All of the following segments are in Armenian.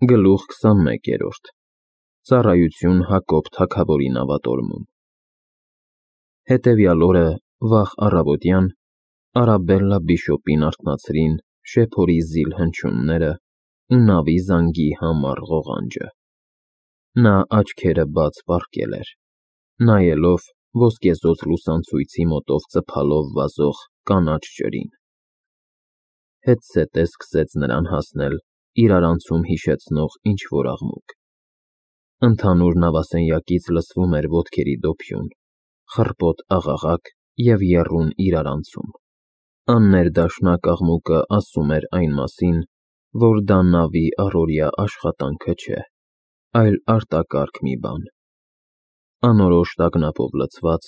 Գլուխ 21 Ծառայություն Հակոբ թագավորի նավատորմում։ Հետևյալ օրը վաղ առավոտյան Արաբելլա բիշոպին արթնացրին շեփորի զիլ հնչյունները ու նավի զանգի համառ ղողանջը։ Նա աչքերը բաց պառկել էր, նայելով ոսկեզօծ լուսանցույցի մոտով ծփալով վազող կանաչ ջրին։ Հետզհետե սկսեց նրան հասնել իրարանցում հիշեցնող ինչ-որ աղմուկ։ Ընդհանուր նավասենյակից լսվում էր ոտքերի դոփյուն, խռպոտ աղաղակ և եռուն իրարանցում։ Աններդաշնակ աղմուկը ասում էր այն մասին, որ դա նավի առօրյա աշխատանքը չէ, այլ արտակարգ մի բան։ Անորոշ տագնապով լցված,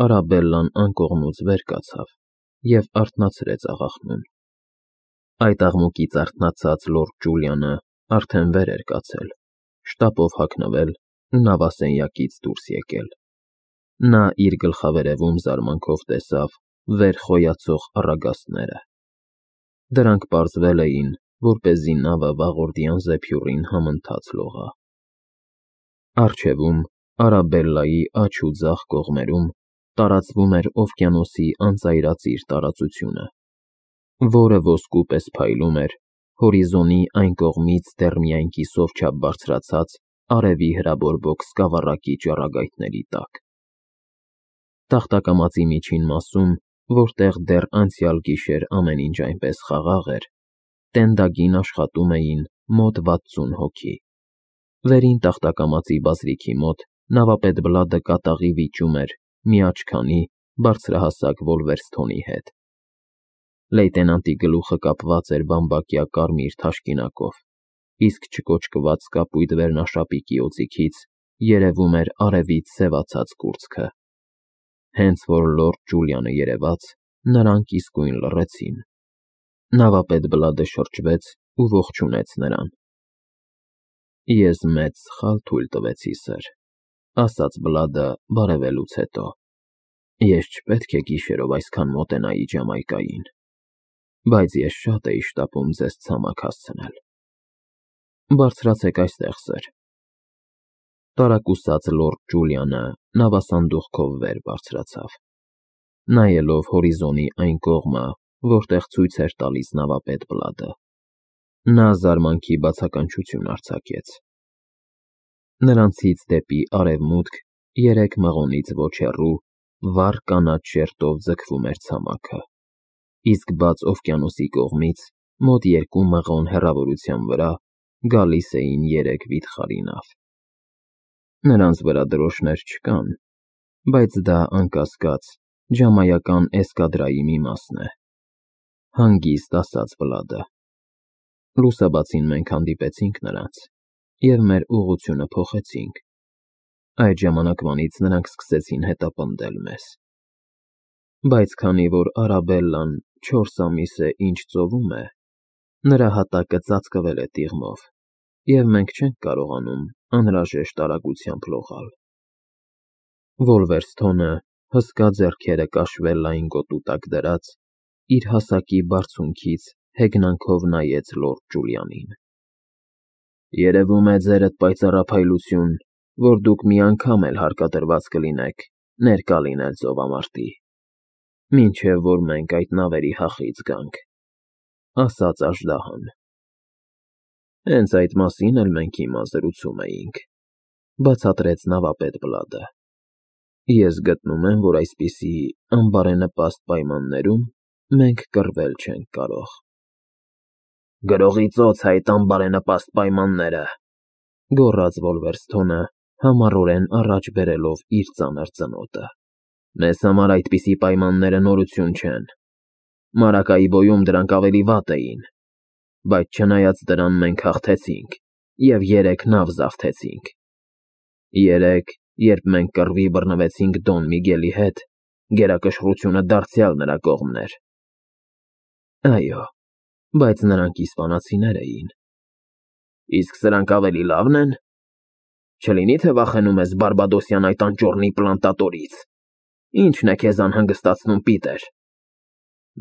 Արաբելլան անկողնուց վեր կացավ և արթնացրեց աղախնուն։ Այդ աղմուկից արթնացած լորդ Ջուլիանը արդեն վեր էր կացել, շտապով հագնվել ու նավասենյակից դուրս եկել։ Նա իր գլխավերևում զարմանքով տեսավ վեր խոյացող առագաստները։ Դրանք պարզվել էին, որպեսզի նավը վաղորդյան զեփյուռին համընթաց լողա։ Առջևում, Արաբելլայի աջ ու ձախ կողմերում տարածվում էր օվկիանոսի անծայրածիր տարածությունը, որը ոսկու պես փայլում էր հորիզոնի այն կողմից դեռ միայն կիսով չափ բարձրացած արևի հրաբորբոք սկավառակի ճառագայթների տակ։ Տախտակամածի միջին մասում, որտեղ դեռ անցյալ գիշեր ամեն ինչ այնպես խաղաղ էր, տենդագին աշխատում էին մոտ 60 հոգի։ Վերին տախտակամածի բազրիքի մոտ նավապետ Բլադը կատաղի վիճում էր մի աչքանի բարձրահասակ Վոլվերսթոնի հետ։ Լեյտենանտի գլուխը կապված էր բամբակյա կարմիր թաշկինակով, իսկ չկոճկված կապույտ վերնաշապիկի օձիքից երևում էր արևից սևացած կուրծքը։ Հենց որ լորդ Ջուլիանը երևաց, նրանք իսկույն լռեցին։ Նավապետ Բլադը շրջվեց ու ողջունեց նրան։ Ես մեծ սխալ թույլ տվեցի, սըր, ասաց Բլադը բարևելուց հետո։ Ես չպետք է գիշերով այսքան մոտենայի Ջամայկային, բայց ես շատ էի շտապում ձեզ ցամաք հասցնել։ Բարձրացեք այստեղ, սըր։ Տարակուսած լորդ Ջուլիանը նավասանդուղքով վեր բարձրացավ, նայելով հորիզոնի այն կողմը, որտեղ ցույց էր տալիս նավապետ Բլադը։ Նա զարմանքի բացականչություն արձակեց։ Նրանցից դեպի արևմուտք 3 մղոնից ոչ հեռու վառ կանաչ շերտով ձգվում էր ցամաքը, իսկ բաց օվկիանոսի կողմից մոտ 2 մղոն հեռավորության վրա գալիս էին 3 վիթխարի նավ։ Նրանց վրա դրոշներ չկան, բայց դա, անկասկած, ջամայական էսկադրայի մի մասն է, հանգիստ ասաց Բլադը։ Լուսաբացին մենք հանդիպեցինք նրանց և մեր ուղղությունը փոխեցինք։ Այդ ժամանակվանից նրանք սկսեցին հետապնդել մեզ։ Բայց քանի որ Արաբելլան 4 ամիս է ինչ ծովում է, նրա հատակը ծածկվել է տիղմով, և մենք չենք կարողանում անհրաժեշտ արագությամբ լողալ։ Վոլվերսթոնը, հսկա ձեռքերը կաշվե լայն գոտու տակ դրած, իր հասակի բարձունքից հեգնանքով նայեց լորդ Ջուլիանին։ Երևում է ձերդ պայծառափայլություն, որ դուք մի անգամ էլ հարկադրված կլինեք ներկա լինել ծովամարտի, մինչև որ մենք այդ նավերի հախից գանք, ասաց աժդահան։ Հենց այդ մասին էլ մենք հիմա զրուցում էինք, բացատրեց նավապետ Բլադը։ Ես գտնում եմ, որ այսպիսի անբարենպաստ պայմաններում մենք կռվել չենք կարող։ Գրողի ծոց այդ անբարենպաստ պայմանները, գոռաց Վոլվերսթոնը, համառորեն առաջ բերելով իր ծանր ծնոտը։ Մեզ համար այդպիսի պայմանները նորություն չեն։ Մարակայի բոյում դրանք ավելի վատ էին, բայց չնայած դրան մենք հաղթեցինք և 3 նավ զավթեցինք։ 3, երբ մենք կռվի բռնվեցինք Դոն Միգելի հետ, գերակշռությունը դարձյալ նրա կողմն էր։ Այո, բայց նրանք իսպանացիներ էին։ Իսկ սրանք ավելի լավն են։ Չլինի թե վախենում ես բարբադոսյան այդ անճոռնի պլանտատորից։ Ի՞նչն է քեզ անհանգստացնում, Պիտեր։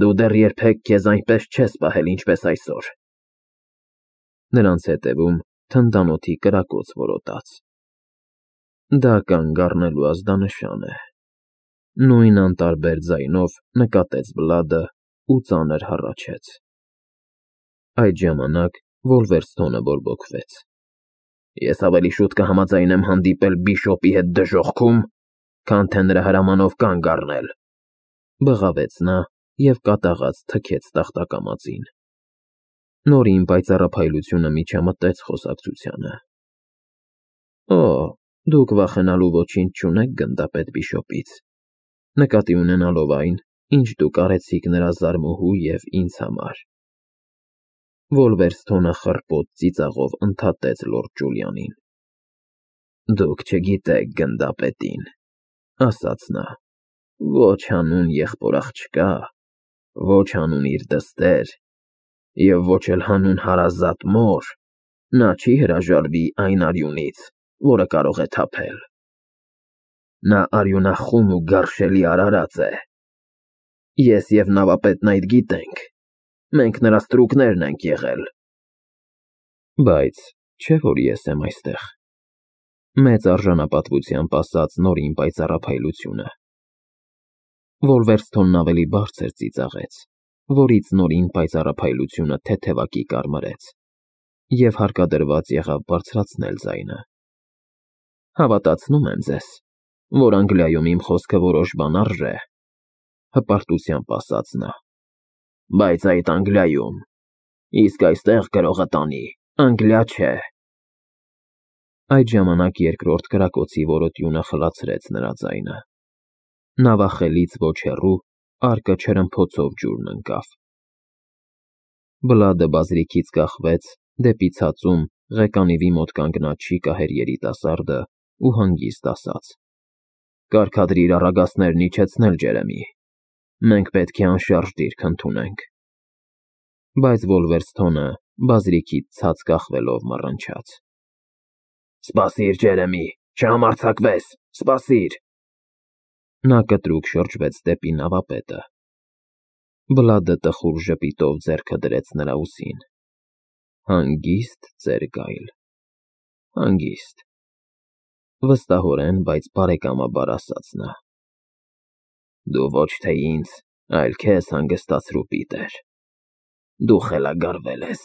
Դու դեռ երբեք քեզ այնպես չես պահել, ինչպես այսօր։ Նրանց հետևում թնդանոթի կրակոց որոտաց։ Դա կանգ առնելու ազդանշան է։ Նույն անտարբեր ձայնով նկատեց Բլադը ու ծանր հառաչեց։ Այդ ժամանակ Վոլվերստոնը բորբոքվեց։ Ես ավելի շուտ կհամաձայնեմ հանդիպել Բիշոպի հետ դժոխքում, քան թե նրա հրամանով կանգ առնել, բղավեց նա և կատաղած թքեց տախտակամածին։ Նորին պայծառափայլությունը միջամտեց խոսակցությանը։ Օ, դուք վախենալու ոչինչ չունեք գնդապետ Բիշոպից, նկատի ունենալով այն, ինչ դուք արեցիք նրա զարմուհու և ինձ համար։ Վոլվերստոնը խռպոտ ծիծաղով ընդհատեց լորդ Ջուլիանին։ Դուք չգիտեք գնդապետին, ասաց նա, ոչ հանուն եղբոր աղջկա, ոչ հանուն իր դստեր, և ոչ էլ հանուն հարազատ մոր, նա չի հրաժարվի այն արյունից, որը կարող է թափել։ Նա արյունախում ու գարշելի արարած է։ Ես և նավապետն այդ գիտենք, մենք նրա ստրուկներն ենք եղել։ Բայց չէ՞ որ ես եմ այստեղ, մեծ արժանապատվությամբ ասաց Նորին պայծառափայլությունը։ Վոլվերստոնն ավելի բարձր ծիծաղեց, որից Նորին պայծառափայլությունը թեթևակի կարմրեց, և հարկադրված եղավ բարձրացնել ձայնը։ Հավատացնում եմ ձեզ, որ Անգլիայում իմ խոսքը որոշ բան արժե, հպարտությամբ ասաց նա, բայց այդ Անգլիայում, իսկ այստեղ գրողը տանի, Անգլիա չէ։ Այդ ժամանակ երկրորդ կրակոցի որոտյունը խլացրեց նրա ձայնը։ Նավախելից ոչ հեռու արկը չրմփոցով ջուրն ընկավ։ Բլադը բազրիքից կախվեց, դեպի ցածում ղեկանիվի մոտ կանգնած շիկահեր երիտասարդը ու հանգիստ ասաց. Կարգադրիր առագաստներն իջեցնել, Ջերեմի, մենք պետք է անշարժ դիրք ընդունենք։ Բայց Վոլվերստոնը բազրիքից ցած կախվելով մռնչաց. Սպասիր, Ջերեմի, չհամարձակվես, սպասիր։ Նա կտրուկ շրջվեց դեպի նավապետը։ Բլադը տխուր ժպիտով ձեռքը դրեց նրա ուսին։ Հանգիստ, ծեր Գայլ, հանգիստ։ Վստահորեն, բայց բարեկամաբար ասաց նա. Դու ոչ թե ինձ, այլ քեզ հանգստացրու, Պիտեր։ Դու խելագարվել ես։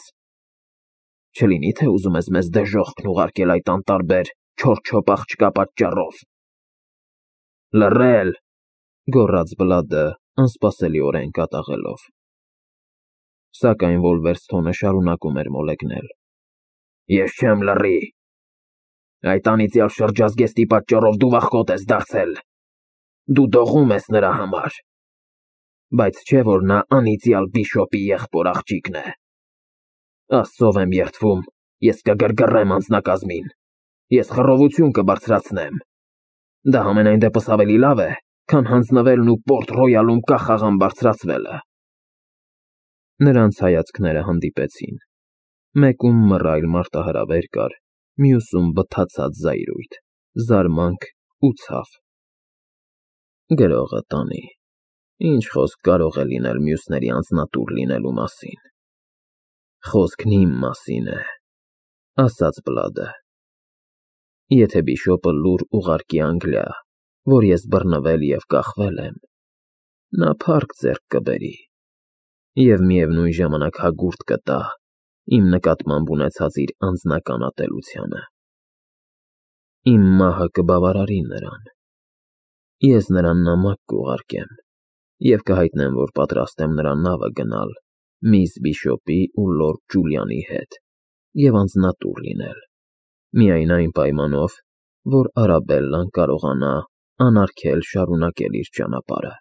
Չլինի թե ուզում ես մեզ դժոխքն ուղարկել այդ անտարբեր չորչոպ աղջկա պատճառով։ Լռել, գոռաց Բլադը անսպասելիորեն կատաղելով։ Սակայն Վոլվերստոնը շարունակում էր մոլեգնել. Ես չեմ լռի։ Այդ անիծյալ շրջազգեստի պատճառով դու վախկոտ ես դարձել։ Դու դողում ես նրա համար։ Բայց չէ որ նա անիծյալ Բիշոպի եղբոր աղջիկն է։ Աստծով եմ երդվում, ես կգրգռեմ անձնակազմին, ես խռովություն կբարձրացնեմ։ Դա համենայն դեպս ավելի լավ է, քան հանձնվելն ու Պորտ Ռոյալում կախաղան բարձրացվելը։ Նրանց հայացքները հանդիպեցին։ Մեկում մռայլ մարտահրավեր կար, մյուսում բթացած զայրույթ, զարմանք ու ցավ։ Գրողը տանի, ինչ խոսք կարող է լինել մյուսների անձնատուր լինելու մասին։ Խոսքն իմ մասին է, ասաց Բլադը։ Եթե Բիշոպը լուր ուղարկի Անգլիա, որ ես բռնվել և կախվել եմ, նա փառք ձեռք կբերի և միևնույն ժամանակ հագուրդ կտա իմ նկատմամբ ունեցած իր անձնական ատելությանը։ Իմ մահը կբավարարի նրան։ Ես նրան նամակ կուղարկեմ և կհայտնեմ, որ պատրաստ եմ նրա նավը գնալ միս Բիշոպի ու լորդ Ջուլիանի հետ և անձնատուր լինել, միայն այն պայմանով, որ Արաբելլան կարողանա անարգել շարունակել իր ճանապարհը։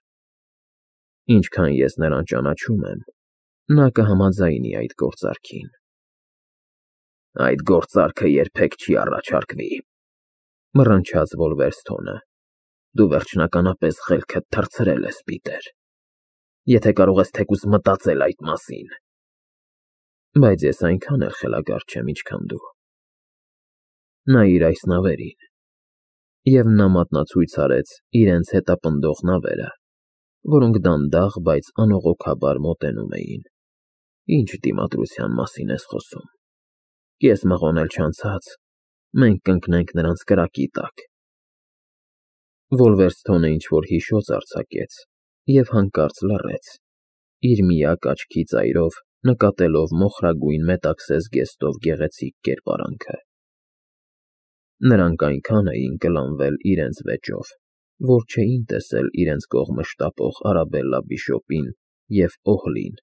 Ինչքան ես նրան ճանաչում եմ, նա կհամաձայնի այդ գործարքին։ Այդ գործարքը երբեք չի առաջարկվի, մռնչաց Վոլվերստոնը։ Դու վերջնականապես խելքդ թռցրել ես, Պիտեր, եթե կարող ես թեկուզ մտածել այդ մասին։ Բայց ես այնքան էլ խելագար չեմ, ինչքան դու։ Նայիր այս նավերին։ Եվ նա մատնացույց արեց իրենց հետապնդող նավերը, որոնք դանդաղ, բայց անողոքաբար մոտենում էին։ Ինչ դիմադրության մասին ես խոսում։ կես մղոնել չանցած, մենք կընկնենք նրանց կրակի տակ։ Վոլվերսթոնը ինչ-որ հիշոց արձակեց և հանկարծ լռեց, իր միակ աչքի ծայրով նկատելով մոխրագույն մետաքսե զգեստով գեղեցիկ կերպարանքը։ Նրանք այնքան էին կլանվել իրենց վեճով, որ չէին տեսել իրենց կողմը շտապող Արաբելլա բիշոպին և Օհլին,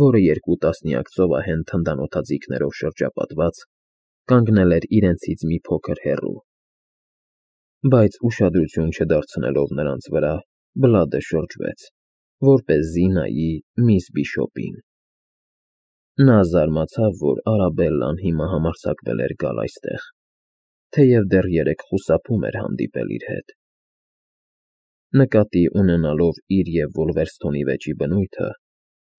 որը երկու տասնյակ ծովահեն թնդանոթաձիգներով շրջապատված, կանգնել էր իրենցից մի փոքր հեռու։ Բայց ուշադրություն չդարձնելով նրանց վրա, Բլադը շրջվեց, որպեսզի նայի միս Բիշոպին։ Նա զարմացավ, որ Արաբելլան հիմա համարձակվել էր գալ այստեղ, թեև դեռ երեկ խուսափում էր հանդիպել իր հետ։ Նկատի ունենալով իր և Վոլվերսթոնի վեճի բնույթը,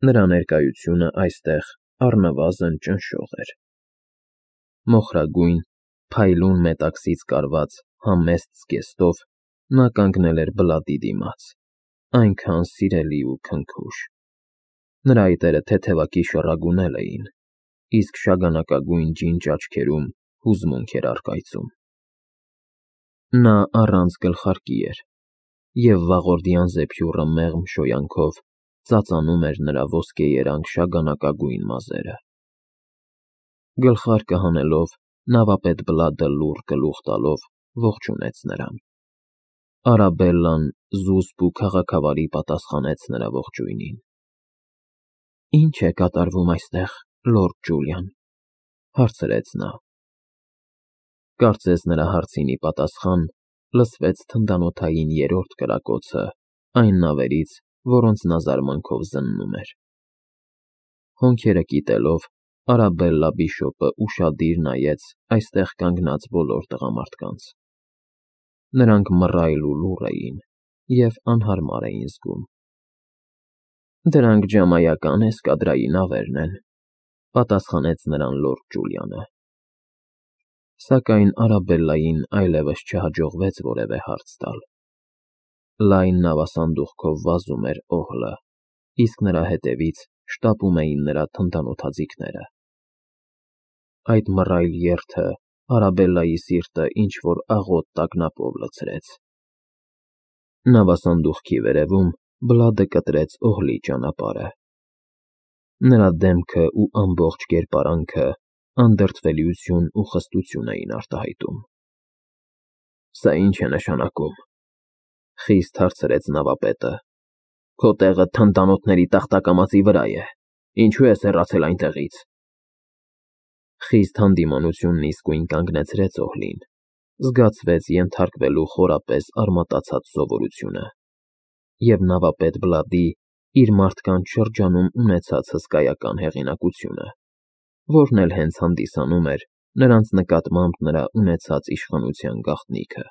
նրա ներկայությունը այստեղ առնվազն ճնշող էր։ Մոխրագույն, փայլուն մետաքսից կարված համեստ զգեստով նա կանգնել էր Բլադի դիմաց, այնքան սիրելի ու քնքուշ։ Նրա այտերը թեթևակի շռագունել էին, իսկ շագանակագույն ջինջ աչքերում հուզմունք էր առկայծում։ Նա առանց գլխարկի էր, և վաղորդյան զեփյուռը մեղմ շոյանքով ծածանում էր նրա ոսկեերանգ շագանակագույն մազերը։ Գլխարկը հանելով, նավապետ Բլադը լուռ գլուխ տալով ողջունեց նրան։ Արաբելլան զուսպ ու քաղաքավարի պատասխանեց նրա ողջույնին։ «Ի՞նչ է կատարվում այստեղ, լորդ Ջուլիան», հարցրեց նա։ Կարծես նրա հարցին ի պատասխան լսվեց թնդանոթային երրորդ կրակոցը այն նավերից, որոնց նա զարմանքով զննում էր։ Հոնքերը կիտելով, Արաբելլա բիշոպը ուշադիր նայեց այստեղ կանգնած բոլոր տղամարդկանց։ Նրանք մռայլ ու լուռ էին և անհարմար էին զգում։ «Դրանք ջամայական էսկադրայի նավերն են», պատասխանեց նրան լորդ Ջուլիանը։ Սակայն Արաբելլային այլևս չհաջողվեց որևէ հարց տալ։ Լայն նավասանդուղքով վազում էր Օհլը, իսկ նրա հետևից շտապում էին նրա թնդանոթաձիգները։ Այդ մռայլ երթը Արաբելլայի սիրտը ինչ-որ աղոտ տագնապով լցրեց։ Նավասանդուղքի վերևում Բլադը կտրեց Օհլի ճանապարհը։ Նրա դեմքը ու ամբողջ կերպարանքը անդրդվելիություն ու խստություն էին արտահայտում։ «Սա ի՞նչ է նշանակում», խիստ հարցրեց նավապետը։ «Քո տեղը թնդանոթների տախտակամածի վրա է, ինչու ես հեռացել այնտեղից»։ Խիստ հանդիմանությունն իսկույն կանգնեցրեց Օհլին, զգացվեց ենթարկվելու խորապես արմատացած սովորությունը, և նավապետ Բլադի իր մարդկանց շրջանում ունեցած հսկայական հեղինակությունը, որն էլ հենց հանդիսանում էր նրանց նկատմամբ նրա ունեցած իշխանության գաղտնիքը։